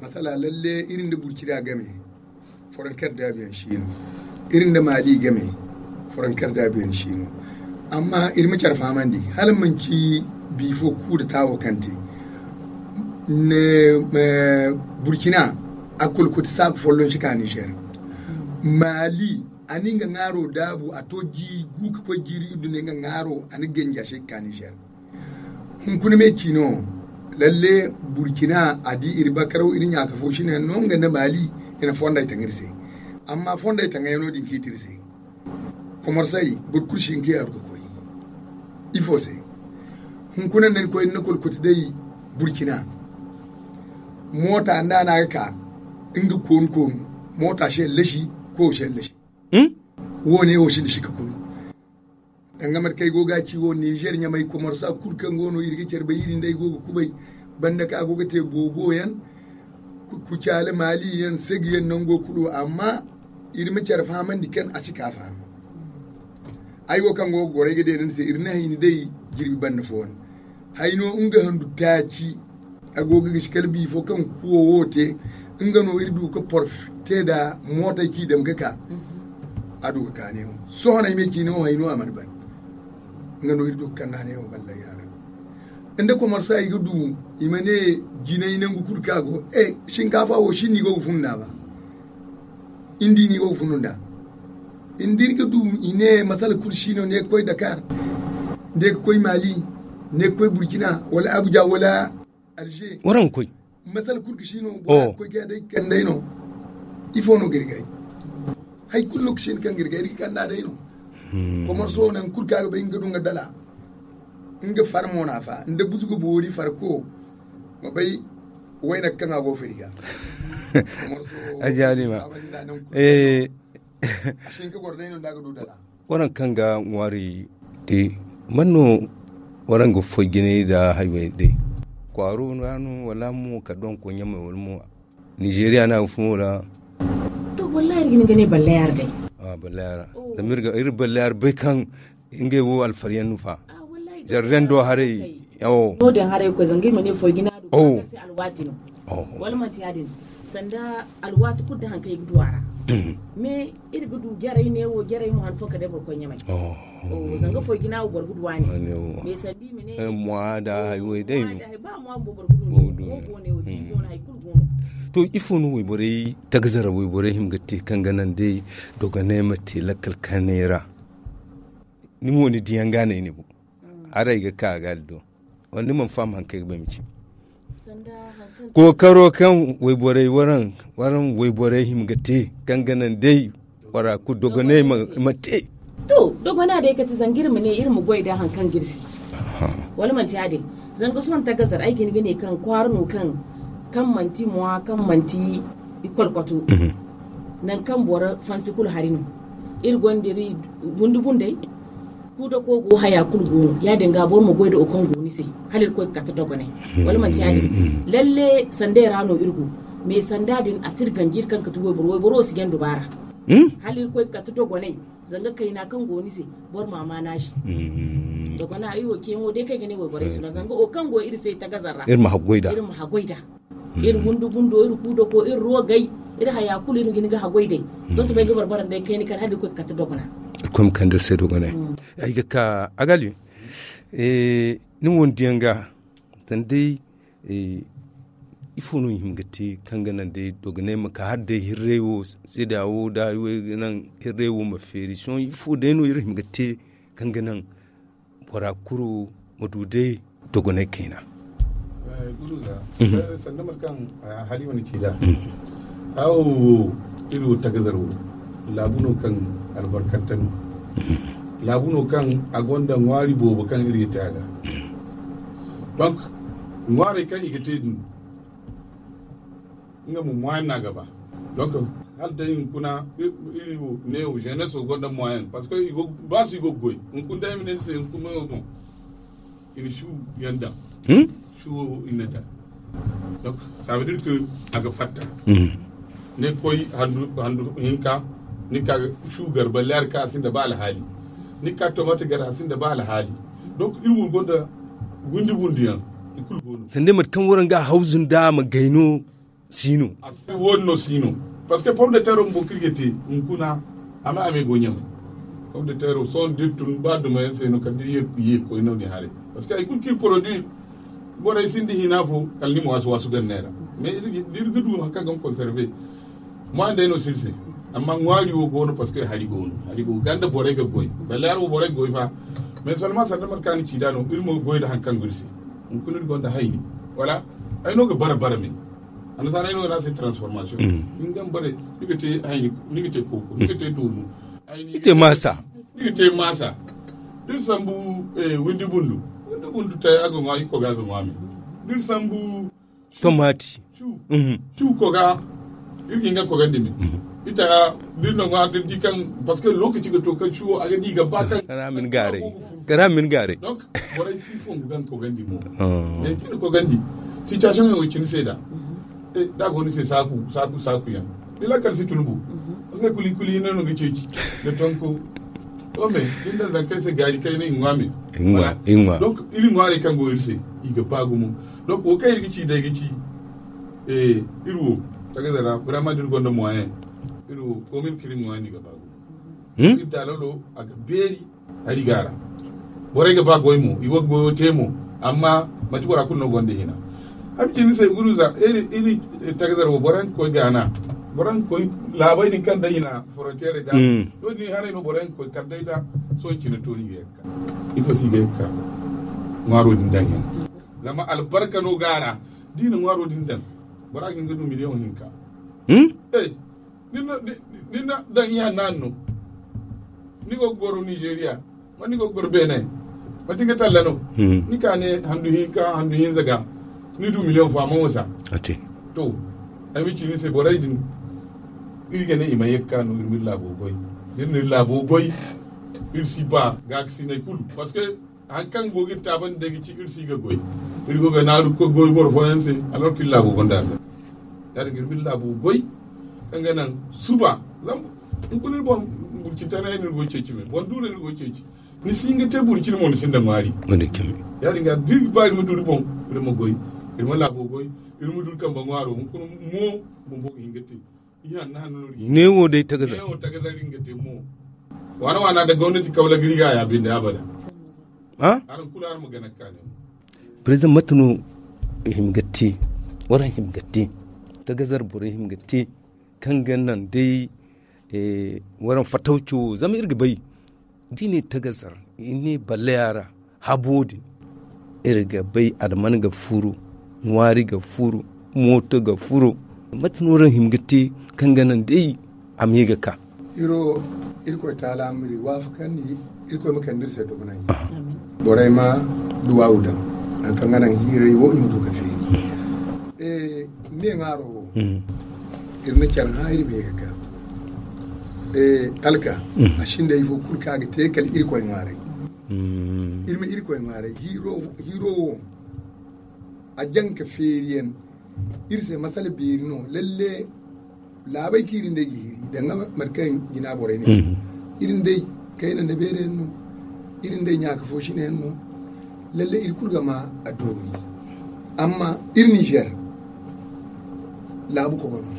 Masala lalle iri nda burkina game. Foronker daabiyaŋ si no. Iri nda mali game. Foronker daabiyaŋ si no. Amma iri ma care fahamandi hala manci bi fo kuuda taawo kaŋ te. Burkina a kulkuti saaku folloŋ si ka nizer. Mali a na nga ŋaaro daabu a to jiiri gu ka koy jiiri iddu ne nga ŋaaro a na ganja se ka ka nizer. Hunkuna me ci no. Lalle burkina a di iri bakaraw iri ɲaaka fo sine no nga nda mali. I na fonday taŋ iri se. Amma fonday taŋayano din kiiti iri se. Komorsay boro kulu si hin ka yaaru ga koy. Ifo se? Hunkuna nda ni koy ni na kolkoti day burkina. Moota nda a na ga ka nga koonu koonu moota se lasi. Koyo se lasi. Wo- ne wo sinda sika kulu. Danga mate kaŋ ay go ga a ci wo nizer ɲamay komorsa kulu kaŋ go no iri ga care bay iri nda ay go ga kubay. Banda kaŋ a go ga te boobo yaŋ kucaali maali yaŋ segi yaŋ nango kulu amma iri ma care fahamandi kaŋ a si ka faham. Ay wo kaŋ go ga goro ay ga deena ni se iri na hayni day jirbi banda fooyaŋ. Hayno nga handu taaci. A go ga gisi kala biifo kaŋ kuwo wo te. Nga no iri du ga porfite nda mootey kaŋ i dam ga ka. A du ga ka neewo sohõ no ay ma ay ci neewo hay no a mana ban. Nga no iri du ga kand'a neewo ballay yaara. Nda komarsa i ga du i ma ne jinay nangu kulu kaŋ a go. Sinkaafa wo sinni i go ga fun nd'a ba. Ni di ni go ga funu nd'a. Ni di ni ga du i ne masala kulu si no ne ga koy dakar, ne ga koy mali, ne ga koy burkina wala abuja wala alger. Waraŋ ga koy. Masala kulu ga si no bora ga koy ga day kandey no. Ifo no ga iri gay? Hay kulu no ga si ni kaŋ ga iri gay iri ga kanda day no. Komar so nangu kulu kaŋ a ga bay nga du nga dala. Nga far mo na fa nda buzu ga boori farko. Ma bay wayna kaŋ a go firi ga. A jaani ma. Waraŋ kaŋ ga ŋwaari te man no waraŋ ga foy jinay nda haywey day? Kwaaro ra no wala mo ka donko ɲamay wala mo? Nizeeriya no a ga fun wo ra. To wallahi iri ga hin ga ne ballayar day. Ballayar zama iri ballayar bay kaŋ ngey wo alfariyaŋ no fa. Zarren do haray. No- din haray ga koy zanga iri ma ne foy jina do kaŋ se alwaati no. Wala manti ya- din sanda alwaati kulu da hari kaŋ i ga du a ra. Mais iri ga du jaray ne wo jaray mo han fo kala day boro koy ɲamay. Zanga foy jina wo boro ga du a ne. Mais sanda i ma ne mwa da hay wo day no. Ba mwa bumbo boro ga du ne wo go ne wo biibi wo no hay kulu go no. To ifo no wayborey tagazara wayborey hima ga te kaŋ ga naŋ day dogonay ma te lakkal kanay ra? Ni mo ni diyaŋ ga naŋ ay ne bo. Haray ga ka ga aldo wala ni mana faham hari kaŋ ay ga ba ay ma ci? Kookaro kaŋ wayborey waraŋ waraŋ wayborey hima ga te kaŋ ga naŋ day bora kulu dogonay ma te. To dogona day kate zanga iri ma ne iri ma goy da hari kaŋ ga iri se. Wala manti ya- din? Zanga sohõ tagazar ay ga hin ga ne kaŋ kwaara no kaŋ manti mwa kaŋ manti ikolkoto. Nangu kaŋ boro fansi kulu hari no. Iri gonda iri bundu bundey. Kuuda ko go haya kulu go no ya- din ga boro ma goy da wo kaŋ go ni se. Hala iri koy ga kate dogonay. Wala manti ya- din? Lalle sanday ra no iri go. Mais sanda din a si iri ganji iri kaŋ ga ti wayboro wayboro wo si jaŋ dubaara. Hala iri koy ga kate dogonay. Zanga kayna kaŋ go ni se boro ma a maana se. Dogona iri wo ceeyaŋo day kaŋ ay ga ne wayborey si no zanga wo kaŋ go iri se tagazar ra iri ma haggoy da. Iri wundu bundo iri kuuda ko iri rogay. Iri haya kulu iri ga hin ga haggoy day. Sohõ sohõ ay ga barbara day kayna kala hala iri koy ga kate dogona. Iri koy ma kande iri se dogonay. Ay ga ka agali. Ni wo ni diyaŋ ga tana day. Ifo no i hima ga te kaŋ ga naŋ day dogonay ma ka hala day hirray wo seeda wo da ay wo ay ga naŋ hirray wo ma feeri sohõ ifo day no iri hima ga te kaŋ ga naŋ bora kulu ma du day dogonay kayna. Sanda mate kaŋ halima na ci nd'a. Awo wo iri wo tagazar wo laabu no kaŋ albarkante no. Laabu no kaŋ a gonda ŋwaari boobo kaŋ iri ga te a ga. Donc ŋwaarey kaŋ i ga te din nga mo moyen no a ga ba. Donc hala day hunkuna iri wo ne wo jeunesse wo gonda moyen parce que ba si go ga goy hunkuna day ay ma ne ni se hunkuna meyo boŋ i na shu yaŋ daŋ. Shu wo i na daŋ. Donc ça veut dire que a ga fatta. Ni koy handu hinka ni ka shu gar balle hari kaŋ a sinda ba alhaali. Ni ka tomate gar a sinda ba alhaali. Donc iri wo gonda windi bundi yaŋ i kulu go no. Sanda mate kaŋ waraŋ ga hawzu nda ma gay no. Si no. Woodin no si no. Parce que pomme de terre bumbo kaŋ iri ga te hunkuna a ma a me go ɲamay. Pomme de terre sohõ da iri tun ba dumayaŋ se no kala da iri ye ga koy no- din haray. Parce que hari kulu kaŋ iri produit borey sinda hina fo kala ni ma waasu waasu ganda neera. Mais da iri ga du hari kaŋ ga conserver moyen day no si iri se. Amma ŋwaari wo go no parce que hari go no hari go ga nda borey ga goy. Balle hari wo borey ga goy fa. Mais seulement sanda mate kaŋ a na ci nd'a no iri mo ga goy nda hari kaŋ go iri se. Hunkuna iri gonda hayni wala ay no ga bara bara me. Annasaarey no ga ne a se transformation. Ni ga bare ni ga te hayni ni ga te kooko ni ga te doonu. Ni ga te maasa. Ni ga te maasa. Da iri sambu windi bundu windi bundu te a ga ŋwa iri koga ga ŋwa me. Da iri sambu tomati. Cu koga iri ga hin ga kogandi me. Ita da iri na ŋwa da iri di kaŋ parce que lokaci ga to kaŋ cuwo a ga di ga ba kaŋ kara min gaaray. Kara min gaaray. Donc borey si fongu ga ni kogandi mo. Mais da ni kogandi situation yaŋ wo cine se da da a go ni se saaku saaku saaku yaŋ ni lakkal si tun bu. Parce que kuli kuli hinne no ga ceeci da tonko. To me da ni daŋ zankey se gaari kayna i ŋwa me. Donc iri ŋwaarey kaŋ go iri se i ga ba gumo. Donc wo kaŋ iri ga ci day ga ci iri wo tagaza ra vraiment da iri gonda moyen iri wo komin kiri moyen ni ga ba gumo. Iri da lolo a ga beeri hari ga ra. Borey ga ba goy mo i wo ga goyo te mo. Amma manti bora kulu no gonda hina. Ay ma ci ni se guruza iri tagazar wo bora ga koy gaana bora ga koy laabay din kaŋ day i na frontiere da. No din haray no bora ga koy kala day da sohõ cine to ni ga yakka. Ifo si ga yakka ŋwaaro din daŋ yaŋ. Zama albarka no ga a ra da i na ŋwaaro din daŋ bora ga hin ga du miliyoŋ hinka. Ni na daŋ iya naani no. Ni go ga goro nizeeriya ma ni go ga goro beene. Manti nga talla no ni ka ne handu hinka handu hinza ga ni du miliyoŋ fo a man wasa. To ay ma ci ni se borey din iri ga ne i ma ye ga ka no iri ma iri laabo goy. Da iri na iri laabo goy iri si ba gaakasinay kulu parce que hari kaŋ go ga iri taabandi day ga ci iri si ga goy. Iri go ga naaru ga koy goy boro fooyaŋ se. Alors kaŋ iri laabo gonda arzaka ya- din ga iri ma iri laabo goy kaŋ ga naŋ suba zama hunkuna iri boŋ burcintaray no iri go ga ceeci me boŋ duura no iri go ga ceeci. Ni si hin ga te boro cine mo ni sinda ŋwaari. Ya- din ga da iri ga ba iri ma du iri boŋ iri ma goy iri ma laabo goy iri ma du iri kambe ŋwaaro hunkuna mo bumbo ga hin ga te. Neewo day tagazar. Waana waana da gomnati kawla ga iri ga ya binde abada. Araŋ kulu araŋ ma gana ga ka ne. Président mate no i hima ga te waraŋ hima ga te tagazar borey hima ga te kaŋ ga naŋ day waraŋ fatawco zama iri ga bay. Da i ne tagazar i ne balleya ra habo din iri ga bay alman ga furo ŋwaari ga furo mooto ga furo. Mate no iri hima ga te kaŋ ga naŋ day a ma ye ga ka. Iri wo irkoy taala ma iri waafakandi irkoy ma kande iri se dogonay. Borey ma duwaawu daŋ Hari kaŋ ga naŋ hiiray wo i ma du ga feeri. Me ŋwaaro wo, iri na care hã iri me ga ka. Alka, a sinda ifo kulu kaŋ a ga te kala irkoy ŋwaaray. Iri ma irkoy ŋwaaray hiiro wo, a jaŋ ka feeri yaŋ. Iri se masala beeri no lalle. Laabey kaŋ iri nd'ey ga hiri danga mate kaŋ jina borey ne, iri nd'ey kayna nda beere yaŋ no. Iri nd'ey ɲaaka fo sine yaŋ no. Lalle iri kulu ga ma a doori. Amma iri nizer laabu kogo no.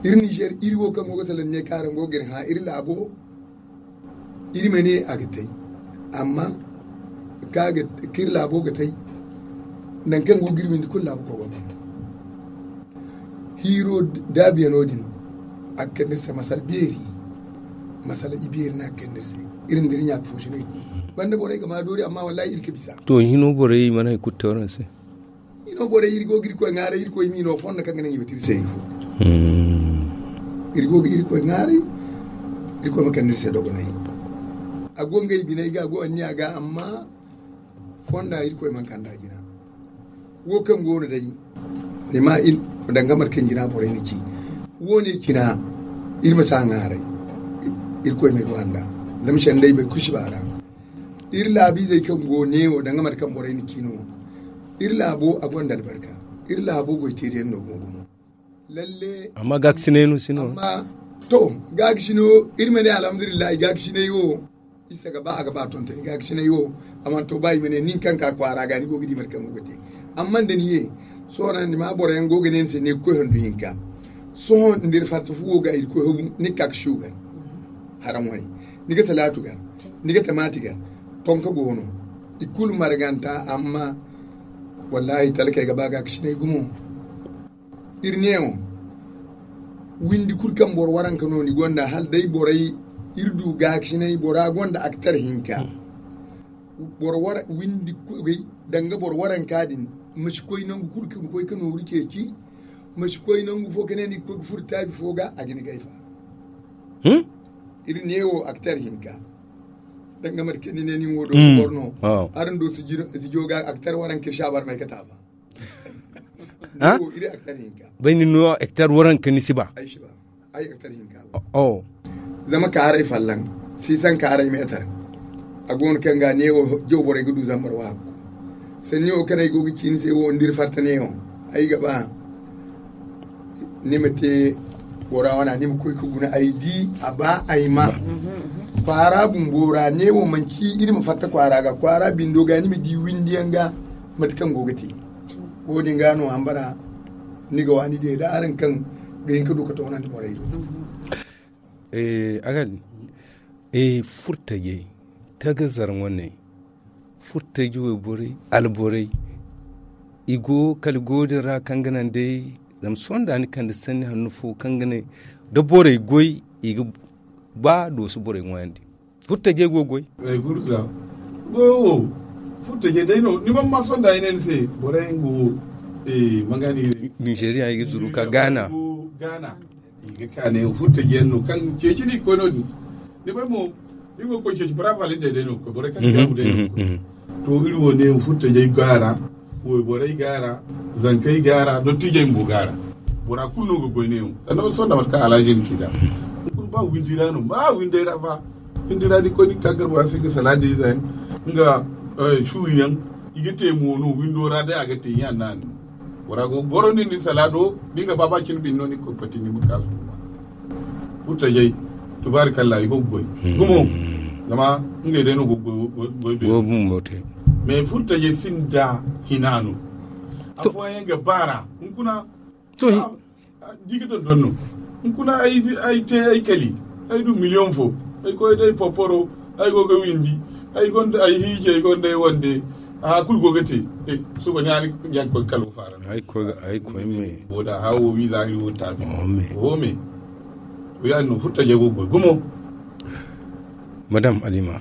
Iri nizer iri wo kaŋ go ga salaŋ ne kaaraŋ go ga iri hã iri laabo. Iri ma ne a ga tay. Amma kaŋ iri laabo ga tay, nangu kaŋ go ga iri windi kulu laabu kogo no. Hiiro daabiyano din, a ga kande iri se masala beeri. Masala ibeeri no a ga kande iri se. Iri nda iri ɲaaka fo si no iri kulu banda borey ga ma doori amma wallahi iri ga bisa. To hino borey mana hari kulu te waraŋ se. Iri go ga irkoy ŋwaaray irkoy m'i no fondo kaŋ ga naŋ i ma te iri se ifo. Iri go ga irkoy ŋwaaray. Irkoy ma kande iri se dogonay. A go ngey biney ga a go anniya ga amma fonda irkoy mana kande a jina. Wo kaŋ go no day ni ma danga mate kaŋ jina borey na ci. Wo- ne cina iri ma si a ŋwaaray. Irkoy ma iri wanda. Zama sendey bay kulu si ba ra. Iri laabiizey kaŋ go neewo danga mate kaŋ borey na ci no. Iri laabo a gonda albarka. Iri laabo goy teeriyaŋ no go gumo. Lalle. Amma gaakasinay no si no. To gaakasino iri ma ne alhamdulillahi gaakasinay wo. Isa ga ba a ga ba tontoni gaakasinay wo. A mana to ba i ma ne nin kaŋ ka kwaara ga ni go ga di mate kaŋ go ga te. Amma nda ni ye sohõ ni ma boro yaŋ go ga ne ni se ne ga koy handu hinka. Sohõ nda iri farta fu wo ga iri koy habu ni ga ka ga sugar. Haraŋ wane ni ga salaatu gar, ni ga tamaati gar. Tonka go no i kulu marganta amma wallahi talkey ga ba gaakasinay gumo. Iri neewo windi kulu kaŋ boro waranka no ni gonda hala day borey. Iri du gaakasinay bora gonda aktar hinka. Boro windi danga boro waranka din ma si koy nangu kulu ka ma koy ka nooru ceeci. Ma si koy nangu fo ka ne ni ga koy ga furo taabi fo ga a ga ni gayfa. Iri neewo aktar hinka. Danga mate kaŋ ni ne nin wo do si boro no. Araŋ do si jo ga aktar waranka iri si a bar may ka taafa. Bay ni no hectare waranka ni si ba. Ay hectare hinka. Zama kaaray fallan sisan kaaray meetar. A go no kaŋ ga neewo jaw borey ga du zambar waako. Sanni wo kaŋ ay go ga ci ni se wo nda iri farta neewo ay ga ba ni ma te bora wana ni ma koy ka guna ay di a ba ay ma. Kwaara bumbo ra neewo manci iri ma fatta kwaara ga kwaara bindo ga ni ma di windi yaŋ ga. Mate kaŋ go ga te wo- din ga no hambara ni ga waani de da araŋ kaŋ ga hin ka du ka toonandi borey do. Aga din furtajey tagazar wane furtaji wayborey alborey i go kala go din ra kaŋ ga naŋ day. Zama sohõ da ni kande sanni hanno fo kaŋ ga ne da borey goy i ga ba dooso borey ŋwaayandi. Furtajey go goy. Ay gurza go wo furtajey day no ni man ma sohõ da ay ne ni se borey go mangani nigeria i ga zuru ka gaana. I ga ka ne furtaji yaŋ no kaŋ ceeci no i ga koy no- din. Ni bay mo iri go ga koy ceeci brava lidday day no ga koy borey kaŋ ga gaabu day no ga koy. To iri wo ne furtajey gaara wayborey gaara zankey gaara dottijey bumbo gaara. Bora kulu no ga goy neewo sanda ma sonda mate kaŋ alaaji ni ci da. Ni kulu ba windi ra no ba windey ra fa. Windi ra ni koy ni ga ka gar bora se ga salaadi ize yaŋ nga suwi yaŋ. I ga te mo no windo ra day a ga te ɲa naani. Bora go ga goro nin din salaado da ni ga ba ba cine bine no ni ga koy pati ni ma ka zumba. Furtajey tubaarikalla i go ga goy gumo. Zama ngey day no go ga goy beero. Mais furtajey sinda hina no. Afooyaŋ ga baara hunkuna. Di ga dondon no hunkuna ay te ay kali ay du million fo. Ay koy day poporo ay go ga windi. Ay gonda ay hiiji ay gonda ay wande. Aha kulu go ga te. Suba ni a ni ga koy kalo faara. Ay koy me. Wo da hawo wiiza iri wo taabi wo me. To yaadin no furtajey go ga goy gumo. Madame alima.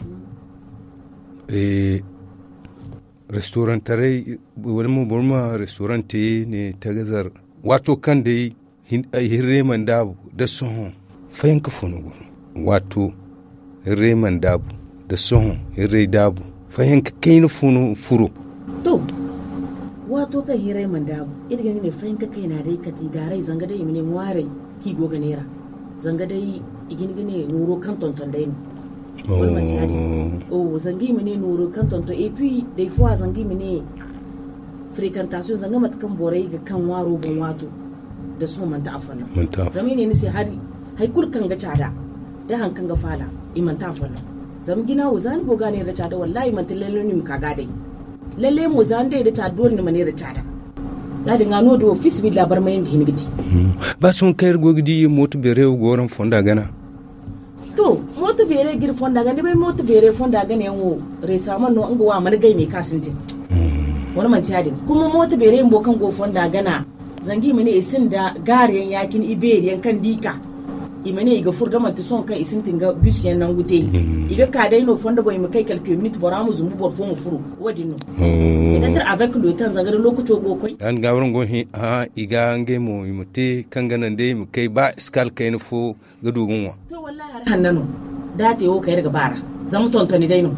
Restaurant taray wala mo boro ma restaurant te ne tagazar. Waato kaŋ day hirrey mana daabu da sohõ fayanka fo no go no. Waato hirrey mana daabu da sohõ hirrey daabu. Fayanka kayna fo no furo. To, waato kaŋ hiray mana daabu, iri ga ne fayanka kayna day kati gaaray zanga day i ma ne ŋwaaray kaŋ i go ga neera. Zanga day i ga hin ga ne nooro kaŋ tonton day no. Wala manti yaadin? Oh, zanga i ma ne nooro kaŋ tonton et puis day fo a zanga i ma ne frekantaasiyoŋ zanga mate kaŋ borey ga kaŋ ŋwaaro boŋ waato. Da sohõ manti a folloŋ. Zama i ne ni se hari, hari kulu kaŋ ga caada da hari kaŋ ga faala, i manti a folloŋ. Zama jina wo za ni go ga a neera da caada wallaahi manti lalle no i ma ka ga a day. Lalle mo za ni day da caada doole ni ma neera caada. Ya- din ga no- din wo fiisabilillahi barmayaŋ ga hin ga te. Ba sohõ kaŋ iri go ga di mooto beeray wo go waraŋ fonda gana. To, mooto beeray ga iri fonda gana ni bay mooto beeray fonda gana yaŋ wo, reesaman no nga wo a mana gay me kaŋ a sintin. Wala manti ya- din kuma mooto beeray bumbo kaŋ go fonda gana. Zanga i ma ne i sinda gaari yaŋ ya- cine i beeri yaŋ kaŋ da i ka, i ma ne i ga furo da manti sohõ kaŋ i sintin ga bis yaŋ nangu te. I ga ka day no fondo boŋ i ma kay kalke minit bora ma zumbu boro fo ma furu. Wo- din no. Peut-être avec le temps zanga da lookaco go ga koy. Yaadin ga waraŋ go ga hin, i ga ngey mo i ma te kaŋ ga naŋ day i ma kay ba iskaal kayna fo ga du ga ŋwa. To wallaahi hari hanna no. Da a te wo kay iri ga ba ra. Zama tontoni day no.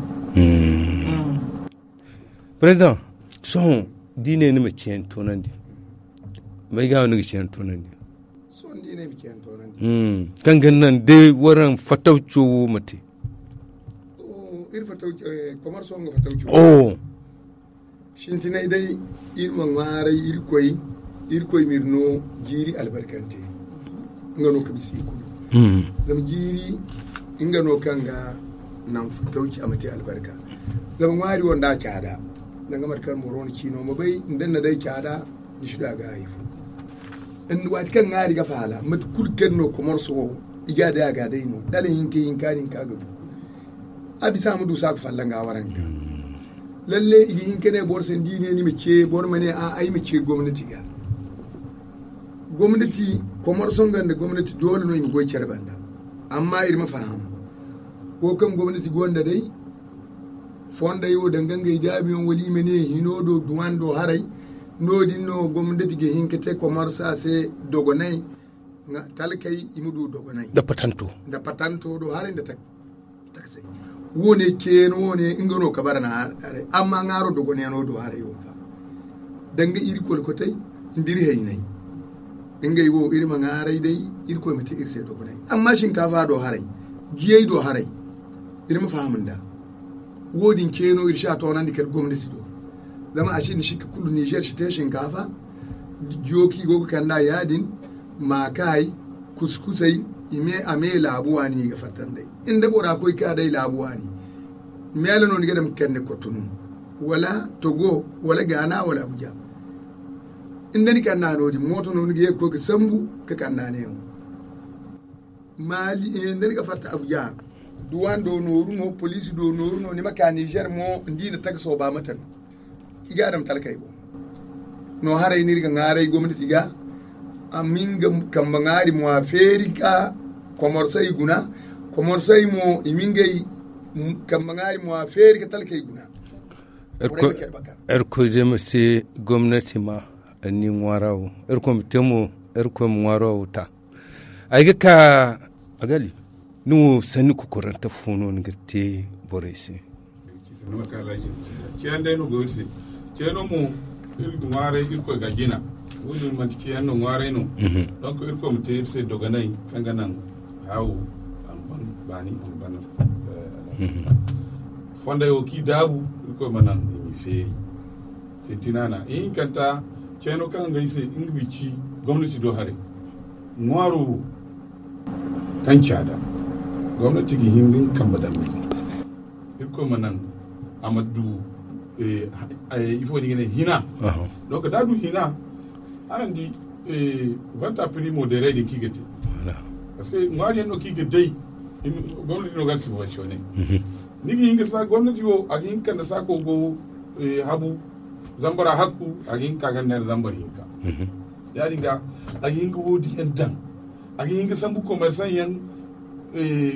Président, sohõ da i ne ni ma ceeni toonandi, may ga no ni ga ceeni toonandi? Sohõ da i ne ay ma ceeni toonandi. Kaŋ ga naŋ day waraŋ fatawco wo ma te. Iri fatawco, commerço nga fatawco. Sintinay day, iri ma ŋwaaray irkoy. Irkoy ma iri no jiiri albarkante. Nga no ka bisa i kulu. Zama jiiri nga no kaŋ ga naŋ fatawci a ma te albarka. Zama ŋwaari wo nda a caada, danga mate kaŋ boro na ciino ma bay nda ni na day caada, ni si du a ga hari fo. Waati kaŋ ŋwaari ga faala mate kulu kaŋ no commerço wo, i ga day a ga day no dala hinka hinka no ni ka ga du. A bisa a ma du saako fallaŋ ga waranka. Lalle i ga hin ka ne boro se ni di ne ni ma ce boro ma ne a ay ma ce gomnati ga. Gomnati, commerço nga nda gomnati doole no i ma goy care banda. Amma iri ma faham, wo kaŋ gomnati gonda day, fondey wo danga ngey daabiyaŋ wala i ma ne hino do duwan do haray. No- din no gomnati ga hin ka te commerço se dogonay. Talkey i ma du dogonay nda patanto do haray nda taksey. Wo- ne ceeno wo- ne nga no ka bara na haray amma ŋwaaro dogonay no do haray wo ga danga iri kolkotey nda iri hayney. Ngey wo iri ma ŋwaaray day irkoy ma te iri se dogonay. Amma shinkafa do haray, jiyey do haray, iri ma faham nda wo- din ceeno iri si a toonandi kala gomnati do. Zama a sinda sikka kulu nizer si te shinkafa. Jiyo kaŋ i go ga kand'a ya- din, maakaay, kuskusey, a me laabu waani i ga fatta nd'ey. Nda bora koy ka day laabu waani, meela no ni ga daŋ ga kande kottu no, wala togo, wala gaana wala abuja. Nda ni kand'a no- din mooto no ni ga ye ga koy ga sambu ga kand'a neewo. Maali nda ni ga fatta abuja, duwan do nooru no poliisi do nooru no ni ma ka nizer mo nda i na taga sooba mate no. I ga a daŋ talkey boŋ. No haray no iri ga ŋwaaray gomnati ga a ma nga kambe ŋwaari mo a feeri ka komorsey guna. Komorsey mo i ma ngey kambe ŋwaari mo a feeri ka talkey guna. Irkoy day ma te gomnati ma ni ŋwaara wo. Irkoy ma te mo irkoy ma ŋwaara wo ta. Ay ga ka a gali. Ni wo sanni kokorante fo no ni ga te borey se? Ceeno day no go iri se. Ceeno mo iri ga ŋwaaray irkoy ga jina. Wo- din manti ceeno no ŋwaaray no. Donc irkoy ma te iri se dogonay kaŋ ga naŋ haawo a ma ban baani a ma ban. Fondey wo kaŋ i daabu irkoy ma naŋ i ma i feeri. Sintina na ihinkanta ceeno kaŋ ga ay se nga ma i ci gomnati do haray. Ŋwaaro wo kaŋ caada gomnati ga hin ga nga kambe daŋ. Irkoy ma naŋ a ma du ifo ni ga ne hina. Donc da a du hina araŋ di vanta primo deray din kaŋ i ga te. Parce que ŋwaari yaŋ no kaŋ i ga day gomnati no ga subventionne. Ni ga hin ga sa gomnati wo a ga hin ga kande saako go habu zambara hakku a ga hin ga ka ganda neera zambar hinka. Ya- din ga a ga hin ga wo- din yaŋ daŋ. A ga hin ga sambu commerçant yaŋ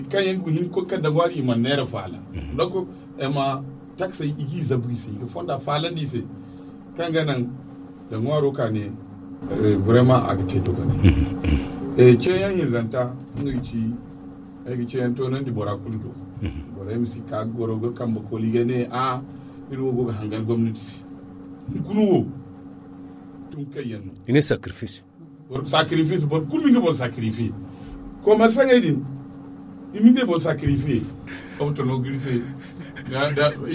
kaŋ yaŋ ga hin ga koy kande ŋwaari i mana neera faala. Donc ma taksey i ga i zabu i se i ga fonda faalandi i se kaŋ ga naŋ da ŋwaaro ka ne vraiment a ga te dogonay. Ceeyaŋ hinzanta nga ga ci Ay ga ceeyaŋ toonandi bora kulu do. Borey ma si ka goro ga kambe koli ga ne a iri wo go ga hangan gomnati se. Hunkuna wo tun kayyaŋ no i ne sacrifice. Sacrifice boro kulu ma nga boro sacrifice. Komersaŋey din i ma nga boro sacrifice. Auto no ga iri se.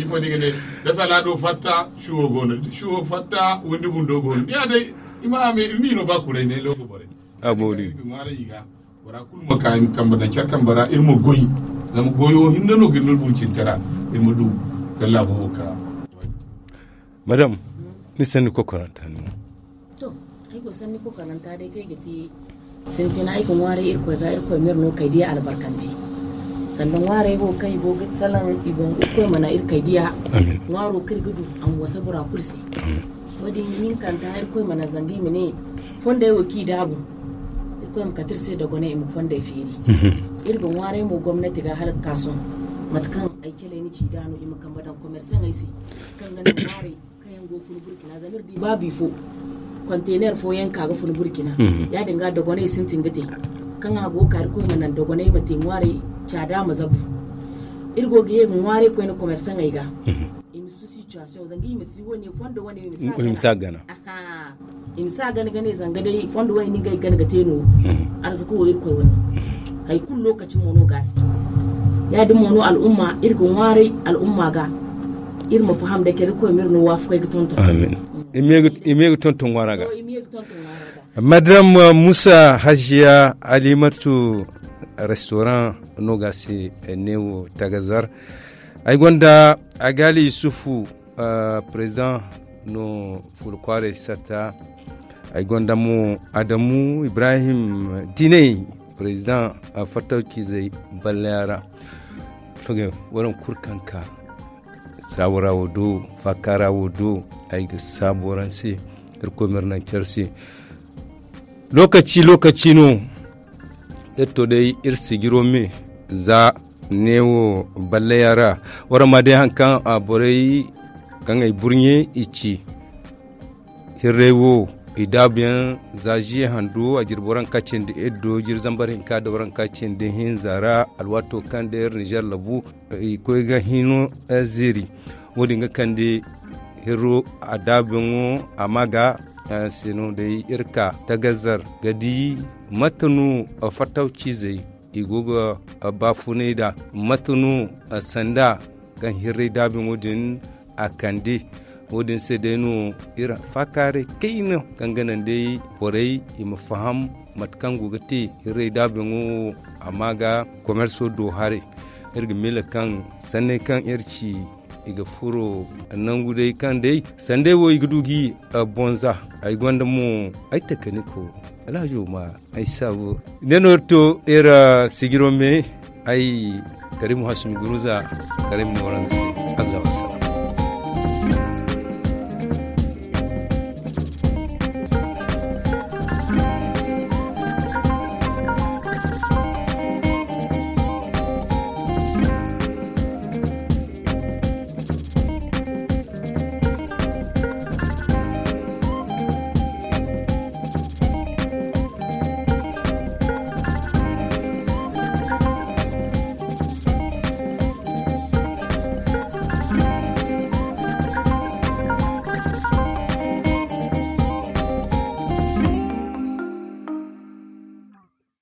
Ifo ni ga ne da salaado fatta shuwo go no shuwo fatta windi bundo go no ni ya day. I ma hame iri ni no ba kuray ne logo borey. A boori. Bora kulu ma ka i ma kambe daŋ care kambe ra iri ma goy. Zama goyo hinne no ga iri no bumcintara. Iri ma du ga laabo wo ka madam, ni sanni kokoranta no. To, ay go sanni kokoranta day kaŋ ay ga te sintina ay ga ŋwaaray irkoy ga irkoy ma iri no kay diya albarkante. Sanda ŋwaaray wo kaŋ i go ga salaŋ i boŋ irkoy mana iri kay diya. Ŋwaaro kaŋ iri ga du a ma wasa bora kulu se. Wo- din hinkanta irkoy mana zanga i ma ne fondey wo kaŋ i daabu. Irkoy ma kate iri se dogonay i ma fondey feeri. Iri ga ŋwaaray mo gomnati ga hala ga ka sohõ mate kaŋ ay calay ni ci da no i ma kambe daŋ komersaŋey se kaŋ ga naŋ ŋwaaray kaŋ yaŋ go ga fun burkina zama iri di ba bifo konteener fooyaŋ ka ga fun burkina. Ya- din ga dogonay sintin ga te kaŋ a go ga ka irkoy ma naŋ dogonay ma te ŋwaaray caada ma zabu. Iri go ga ye ga ŋwaaray koyne komersaŋey ga i ma si situation zanga i ma si wane fondo wane i ma si a gana. I ma si a gana ga ne zanga day fondo wane ni ga ay gana ga te nooru. Arzaka wo irkoy wane. Hari kulu lokaci mo no ga a se. Ya- din mo no al'umma iri ga ŋwaaray al'umma ga iri ma faham day kala irkoy ma iri no waafakay ga tonton. I ma ye ga tonton ŋwaara ga. Madame musa hajiya alimatu restaurant no ga a se neewo tagazar. Ay gonda agali yusufu président no fula kwaaray satta. Ay gonda mo adamu ibrahim dinay président fattawcizey ballayara. Fagay waraŋ kulu kaŋ ka saabora wo do faakaara wo do. Ay ga saabo waraŋ se irkoy ma iri naŋ care se. Lokaci lokaci no iri to day iri sijiro me za neewo ballaya ra. Waraŋ ma day hari kaŋ borey kaŋ ay burɲe i ci hirray wo i daabuyaŋ za ziye hando a jiri boro hari kaŋ cindi iddo jiri zambar hinka da boro hari kaŋ cindi hinza ra alwaato kaŋ day iri nizer labu i koy ga hino ziri. Wo- din ga kande hirro a daabuyaŋo a ma ga se no day iri ka tagazzar ga di mate no fattaw ciizey i go ga baafunay nd'a mate no sanda kaŋ hirray daabuyaŋo din a kande. Wo- din se day no iri faakaaray kayna kaŋ ga naŋ day borey i ma faham mate kaŋ go ga te hirray daabuyaŋo wo a ma ga komerso do haray. Iri ga miila kaŋ sanney kaŋ iri ci i ga furo nangu day kaŋ day sanday wo i ga du ga i bonza. Ay gonda mo ay takaniko alhajo ma ay saabu ne no iri to iri sijiro me. Ay karimu hasumi guruza karimu ne waranza se. Azza wassalam.